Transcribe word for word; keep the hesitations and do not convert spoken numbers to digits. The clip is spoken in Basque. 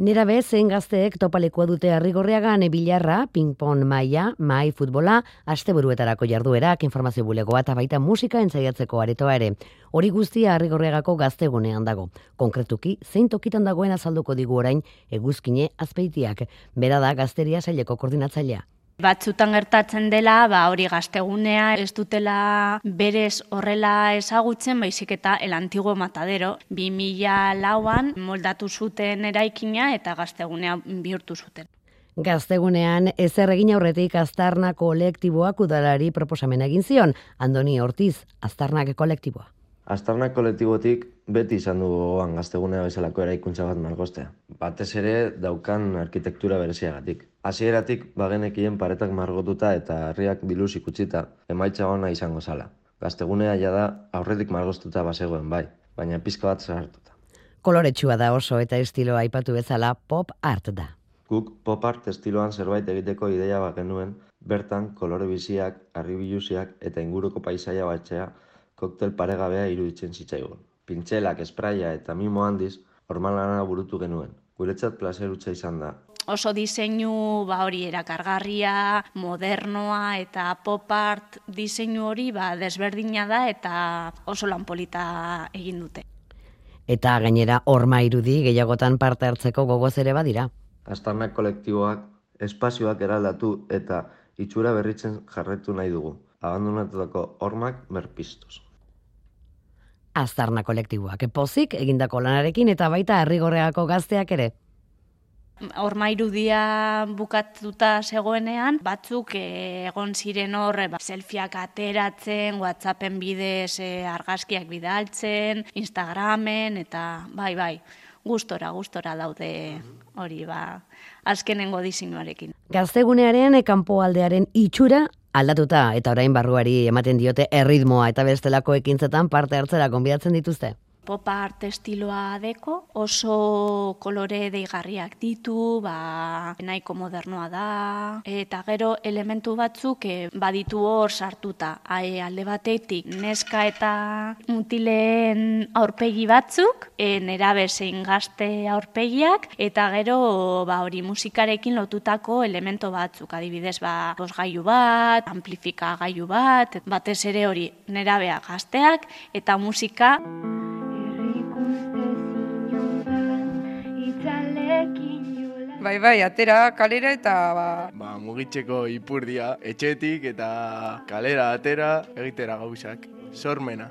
Nerabe zein gazteek topalekua dute Arrigorriagan bilarra, ping-pong maila, mai futbola, asteburuetarako jarduerak, informazio bulegoa eta baita musika entzaiatzeko aretoa ere. Hori guztia Arrigorriagako gaztegunean dago. Konkretuki, zein tokitan dagoen azalduko digu orain Eguzkine Azpeitiak. Bera da Gazteria Saileko koordinatzailea. Batzutan gertatzen dela, ba hori gaztegunea ez dutela berez horrela ezagutzen, baizik eta el antiguo matadero. bi mila lauan moldatu zuten eraikina eta gaztegunea bihurtu zuten. Gaztegunean ezer egin aurretik Aztarna kolektiboak udalari proposamena egin zion. Andoni Ortiz, Aztarnak kolektiboa. Aztarnak kolektibotik beti izan du gogoan gaztegunea bezalako eraikuntza bat margostea. Batez ere daukan arkitektura bereziagatik. Hasieratik bagenekien paretak margotuta eta herriak biluzik utzita emaitza ona izango zala. Gaztegunea jada aurretik margostuta bazegoen bai, baina pizka bat zahartuta. Koloretsua da oso eta estiloa aipatu bezala pop art da. Guk pop art estiloan zerbait egiteko ideia bagenuen, bertan kolore biziak, harribiluziak eta inguruko paisaia batzea koktel paregabea iruditzen zitzaigun. Pintxelak, espraia eta mimo handiz, hormalana burutu genuen. Guretzat plazerutza izan da. Oso diseinu ba hori erakargarria, modernoa eta pop art diseinu hori ba desberdina da eta oso lan polita egin dute. Eta gainera horma irudi gehiagotan parte hartzeko gogoz ere badira. Aztarnak kolektiboak espazioak eraldatu eta itxura berritzen jarretu nahi dugu. Abandonatutako hormak berpiztuz. Aztarna kolektiboak pozik egindako lanarekin eta baita Arrigorriagako gazteak ere. Horma irudia bukatuta zegoenean, batzuk egon ziren horre, ba, selfieak ateratzen, WhatsAppen bidez e, argazkiak bidaltzen, Instagramen, eta bai, bai, gustora, gustora daude hori, ba, azkenengo diseinuarekin. Gaztegunearen kanpoaldearen itxura aldatuta eta orain barruari ematen diote erritmoa eta bestelako ekintzetan parte hartzera gonbidatzen dituzte. Pop art estiloa deko, oso kolore deigarriak ditu, ba, nahiko modernoa da, eta gero elementu batzuk e, baditu hor sartuta. E, alde batetik neska eta mutileen aurpegi batzuk, e, nerabe zein gazte aurpegiak, eta gero ba, hori musikarekin lotutako elemento batzuk, adibidez ba, bosgailu bat, amplifikagailu bat, batez ere hori nerabea gazteak eta musika. Bai, bai, atera kalera eta ba... Ba, mugitzeko ipurdia, etxetik eta kalera atera egitera gauzak, sormena.